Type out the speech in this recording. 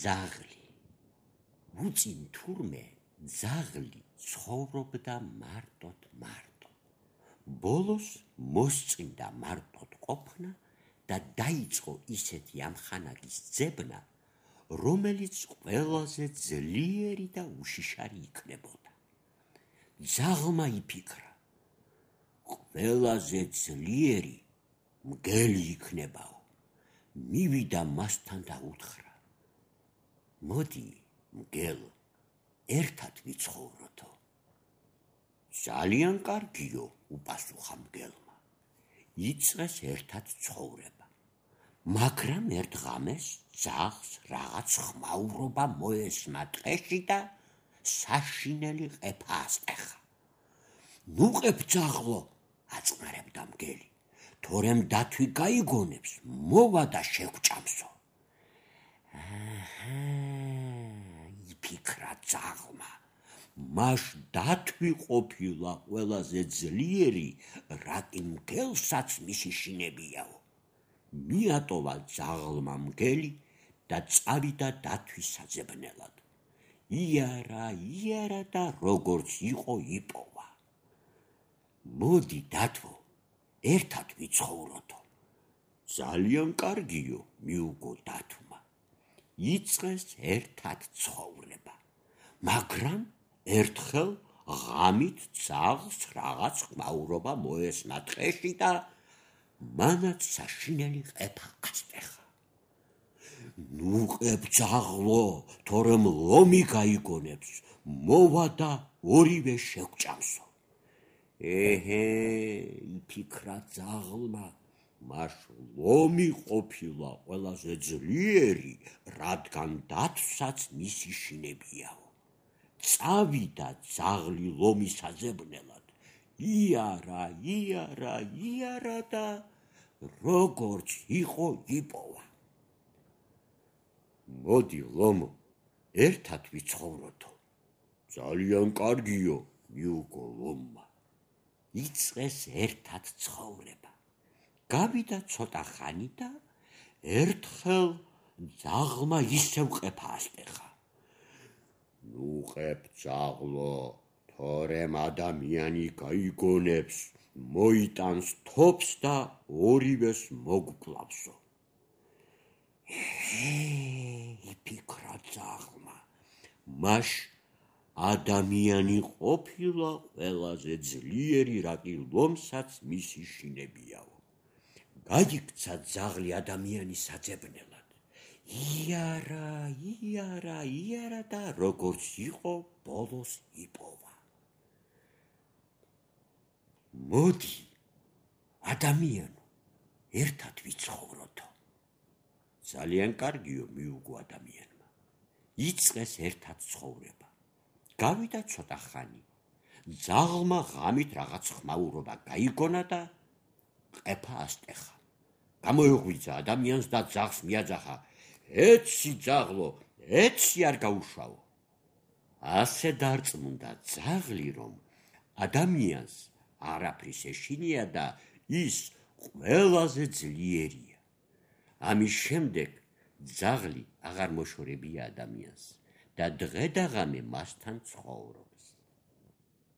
ძაღლი. უწინ თურმე ძაღლი ცხოვრობდა მარტოდ. ბოლოს მოსწინდა მარტოდ ყოფნა და დაიწყო ისეთი ამხანაგის ძებნა, რომელიც ყველაზე ძლიერი და უშიშარი იქნებოდა. ძაღლმა იფიქრა, ყველაზე ძლიერი მგელი იქნებაო. მივიდა მასთან და უთხრა, მოდი მგელ, ერთად ვიცხოვროთო. ძალიან კარგიო, უპასუხა მგელმა. იწყეს ერთად ცხოვრება. მაგრამ ერთ ღამეს ძაღლს რაღაც ხმაურობა მოესმა ტყეში და საშინელი ყეფა ასტეხა. ნუ ყებ ძაღლო, აწნარებდა მგელი, თორემ დათვი გაიგონებს, მოვა და შევჭამსო. იფიქრა ძაღლმა, მაშ დათვი ყოფილა ყველაზე ძლიერი, რაკი მგელსაც მისი შინებიაო. მიატოვა ძაღლმა მგელი და წავიდა დათვის საძებნელად. იარა და როგორც იყო იპოვა. მოდი დათვო, ერთად ვიცხოვროთო. ძალიან კარგიო, მიუგო დათვმა. იწყეს ერთად ცხოვრება. მაგრამ ერთხელ ღამით ძაღლს რაღაც ხმაურობა მოესმა ტყეში და მანაც საშინელი ყეფა ასტეხა. ნუ ყებ ძაღლო, თორემ ლომი გაიგონებს, მოვა და ორივე შევჭამსო. იფიქრა ძაღლმა, მაშ ლომი ყოფილა ყველაზე ძლიერი, რადგან დათვსაც მისი შინებიაო. წავიდა ძაღლი ლომის საძებნელად. იარა და როგორც იყო იპოვა. მოდი ლომო, ერთად ვიცხოვროთო. ძალიან კარგიო, მიუგო ლომმა. იწყეს ერთად ცხოვრება. გავიდა ცოტა ხანი და ერთხელ ძაღლმა ისევ ყეფა ასტეხა. ნუ ყებ ძაღლო, თორემ ადამიანი გაიგონებს, მოიტანს თოფს და ორივეს მოგკლავსო. იფიქრა ძაღლმა, მაშ ადამიანი ყოფილა ყველაზე ძლიერი, რაკი ლომსაც მისი შინებიაო. გაიქცა ძაღლი ადამიანის საძებნელად. იარა და როგორც იყო ბოლოს იპოვა. მოდი ადამიანო, ერთად ვიცხოვროთო. ძალიან კარგიო, მიუგო ადამიანმა. იწყეს ერთად ცხოვრება. გავიდა ცოტა ხანი. ძაღლმა ღამით რაღაც ხმაურობა გაიგონა და ყეფა ასტეხა. გამოიღვიძა ადამიანს და ძაღლს მიაძახა, ეცი ძაღლო, ეცი არ გაუშავო. ასე დარწმუნდა ძაღლი, რომ ადამიანს არაფრის ეშინია და ის ყველაზე ძლიერია. ამის შემდეგ ძაღლი აღარ მოშორებია ადამიანს და დღე და ღამე მასთან ცხოვრობს.